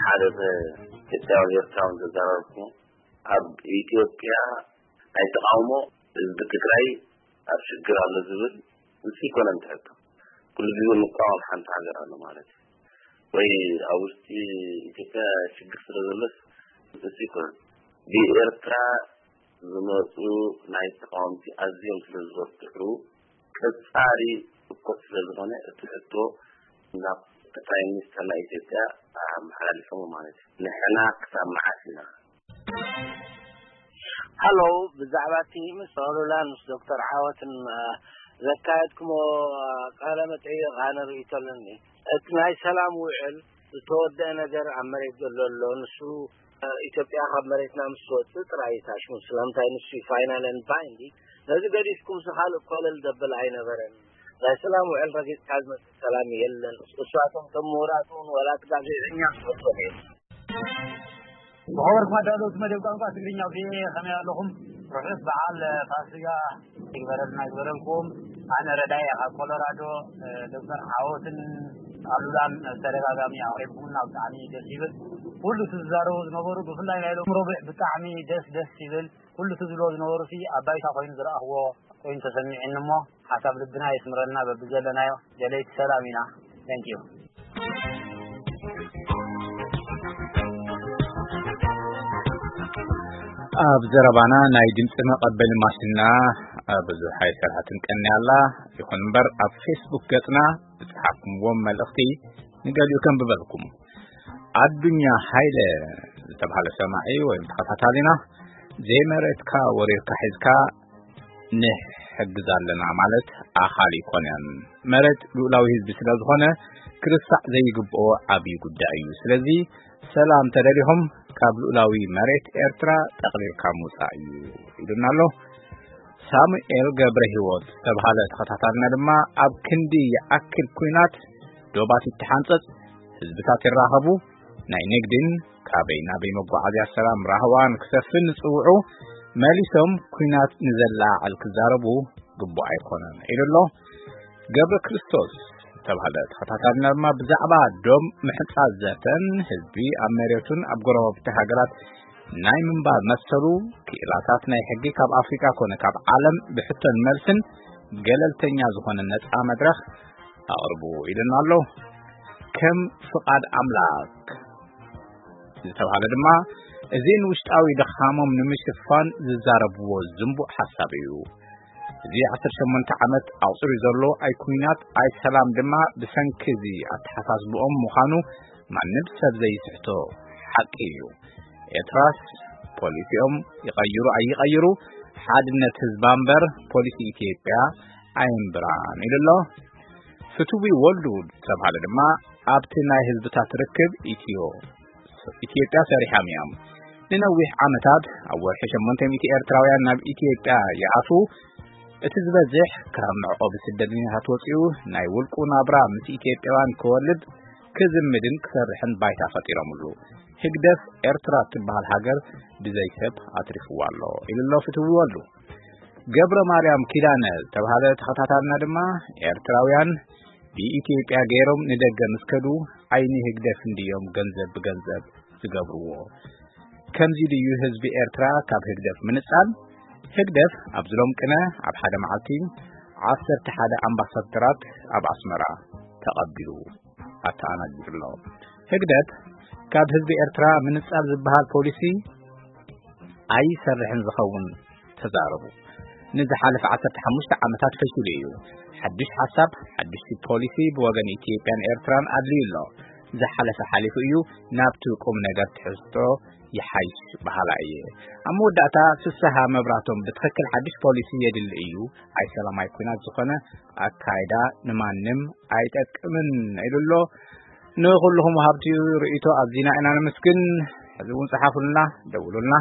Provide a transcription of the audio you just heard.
ሓደ ኢትዮጵያውን ኤርትራውን ዘዘራረብኩ ኣብ ኢትዮጵያ ናይ ተቃውሞ ህዝቢ ትግራይ ኣብ ሽግር ኣሎ ዝብል ንሱ ይኮነን ትሕቶ። ኩሉ ግዜ ንቃወም ሓንቲ ሃገር ኣሎ ማለት እዩ። ወይ ኣብ ውሽጢ ኢትዮጵያ ሽግር ስለ ዘሎስ ንሱ ይኮነን። ብኤርትራ ዝመፁ ናይ ተቃወምቲ ኣዝዮም ስለ ዝበርትዑ ቀጻሪ እኮ ስለ ዝኾነ እቲ ሕቶ ናብ ጠቅላይ ሚኒስትር ናይ ኢትዮጵያ ኣመሓላሊፎም ማለት እዩ። ንሕና ክሳብ መዓስ ኢና? ሃሎ፣ ብዛዕባ እቲ ምስ ኣሉላን ምስ ዶክተር ዓወትን ዘካየድኩሞ ቃለ መጠይቕ ኣነ ርእይቶ ኣለኒ። እቲ ናይ ሰላም ውዕል ዝተወደአ ነገር ኣብ መሬት ዘሎ ኣሎ። ንሱ ኢትዮጵያ ካብ መሬትና ምስ ትወፅእ ጥራይ እዩ ታሽሙ። ስለምንታይ ንሱ እዩ ፋይናል ኤንድ ባይንዲንግ። ነዚ ገዲፍኩም ካልእ ኮለል ዘብል ኣይነበረን። ናይ ሰላም ውዕል ረጊፅካ ዝመፅእ ሰላም የለን። እሳቶም እቶም ምሁራት እውን ዋላ እቲ ጋዜጠኛ ዝፈልጦም እዮም። ዝኸበርኩም ኣዳለውቲ መደብ ቋንቋ ትግርኛ ቪኦኤ ከመይ ኣለኹም? ርሑስ በዓል ፋሲጋ ይግበረልና ይግበረልኩም። ኣነ ረዳይ ካብ ኮሎራዶ። ዶክተር ዓወትን ኣሉላን ተደጋጋሚ ኣቕሪብኩምና ብጣዕሚ ደስ ይብል። ኩሉ እቲ ዝዛረቡ ዝነበሩ ብፍላይ ናይ ሎም ረቡዕ ብጣዕሚ ደስ ደስ ይብል። ኩሉ እቲ ዝብሎ ዝነበሩ ሲ ኣብ ባይታ ኮይኑ ዝረኣኽዎ ኮይኑ ተሰሚዕኒ እሞ ሓሳብ ልብና የስምረልና በብዘለናዮ ደለይቲ ሰላም ኢና። Thank you። ኣብ ዘረባና ናይ ድምፂ መቐበሊ ማሽንና ብዙሕ ኣይሰርሐትን ቀኒ ኣላ። ይኹን እምበር ኣብ ፌስቡክ ገፅና ዝፀሓፍኩምዎም መልእኽቲ ንገሊኡ ከንብበልኩም። ኣዱኛ ሃይለ ዝተባህለ ሰማዒ ወይም ተኸታታሊና ዘይመሬትካ ወሪርካ ሒዝካ ንሕግዝ ኣለና ማለት ኣኻሊ ይኮነን። መሬት ልኡላዊ ህዝቢ ስለ ዝኾነ ክርሳዕ ዘይግብኦ ዓብዪ ጉዳይ እዩ። ስለዚ ሰላም ተደሊኹም ካብ ልኡላዊ መሬት ኤርትራ ጠቕሊልካ ምውፃእ እዩ ኢሉና ኣሎ። ሳሙኤል ገብረ ህይወት ዝተባሃለ ተኸታታልና ድማ ኣብ ክንዲ ይኣክል ኲናት ዶባት ይተሓንጸጽ፣ ህዝብታት ይራኸቡ፣ ናይ ንግድን ካበይ ናበይ መጓዓዝያ ሰላም ራህዋን ክሰፍን ዝጽውዑ መሊሶም ኲናት ንዘለዓዕል ክዛረቡ ግቡእ ኣይኮነን ኢሉ ኣሎ። ገብረ ክርስቶስ ዝተባህለ ተኸታታልና ድማ ብዛዕባ ዶም ምሕጻጽ ዘተን ህዝቢ ኣብ መሬቱን ኣብ ጎረባብቲ ሃገራት ናይ ምንባር መሰሉ ክኢላታት ናይ ሕጊ ካብ ኣፍሪቃ ኮነ ካብ ዓለም ብሕቶን መልስን ገለልተኛ ዝኾነ ነጻ መድረኽ ኣቕርቡ ኢሉና ኣሎ። ከም ፍቓድ ኣምላክ ዝተባህለ ድማ እዚ ንውሽጣዊ ድኻሞም ንምሽፋን ዝዛረብዎ ዝንቡዕ ሓሳብ እዩ። እዚ ዓሰርተ ሸሞንተ ዓመት ኣቑጺሩ ዘሎ ኣይ ኲናት ኣይ ሰላም ድማ ብሰንኪ እዚ ኣተሓሳስብኦም ምዃኑ ማንም ሰብ ዘይስሕቶ ሓቂ እዩ። ኤርትራስ ፖሊሲኦም ይቐይሩ ኣይቐይሩ ሓድነት ህዝባ እምበር ፖሊሲ ኢትዮጵያ ኣይንብራን ኢሉ ኣሎ። ፍትዊ ወልዱ ዝተባህለ ድማ ኣብቲ ናይ ህዝብታት ርክብ ኢትዮ ኢትዮጵያ ሰሪሖም እዮም። ንነዊሕ ዓመታት ኣብ ወርሒ ሸሞንተ ሚእቲ ኤርትራውያን ናብ ኢትዮጵያ ይኣትዉ። እቲ ዝበዝሕ ካብ መዕቆቢ ስደተኛታት ወጺኡ ናይ ውልቁ ናብራ ምስ ኢትዮጵያውያን ክወልድ ክዝምድን ክሰርሕን ባይታ ፈጢሮምሉ። ህግደፍ ኤርትራ እትበሃል ሃገር ብዘይ ሰብ ኣትሪፍዋ ኣሎ ኢሉ ኣሎ ፍትዊ ወልዱ። ገብረ ማርያም ኪዳነ ዝተባህለ ተኸታታልና ድማ ኤርትራውያን ብኢትዮጵያ ገይሮም ንደገ ምስ ከዱ ዓይኒ ህግደፍ እንድዮም ገንዘብ ብገንዘብ ዝገብርዎ። ከምዚ ድዩ ህዝቢ ኤርትራ ካብ ህግደፍ ምንጻል? ህግደፍ ኣብዚ ሎም ቅነ ኣብ ሓደ መዓልቲ ዓሰርተ ሓደ ኣምባሳደራት ኣብ ኣስመራ ተቐቢሉ ኣተኣናጊዱ ኣሎ። ህግደፍ ካብ ህዝቢ ኤርትራ ምንጻል ዝበሃል ፖሊሲ ኣይሰርሕን ዝኸውን ተዛረቡ። ንዝሓለፈ ዓሰርተ ሓሙሽተ ዓመታት ፈሺሉ እዩ። ሓድሽ ሓሳብ፣ ሓድሽ ፖሊሲ ብወገን ኢትዮጵያን ኤርትራን ኣድልዩ ኣሎ። ዝሓለፈ ሓሊፉ እዩ፣ ናብቲ ቁም ነገር ትሕዝቶ ይሓይሽ በሃላ እየ። ኣብ መወዳእታ ፍስሃ መብራቶም ብትኽክል ሓድሽ ፖሊሲ የድሊ እዩ፣ ኣይ ሰላማይ ኲናት ዝኾነ ኣካይዳ ንማንም ኣይጠቅምን ኢሉ ኣሎ። ንኹልኹም ወሃብቲ ርእይቶ ኣዚና ኢና ነመስግን። ሕዚ እውን ጸሓፉልና፣ ደውሉልና።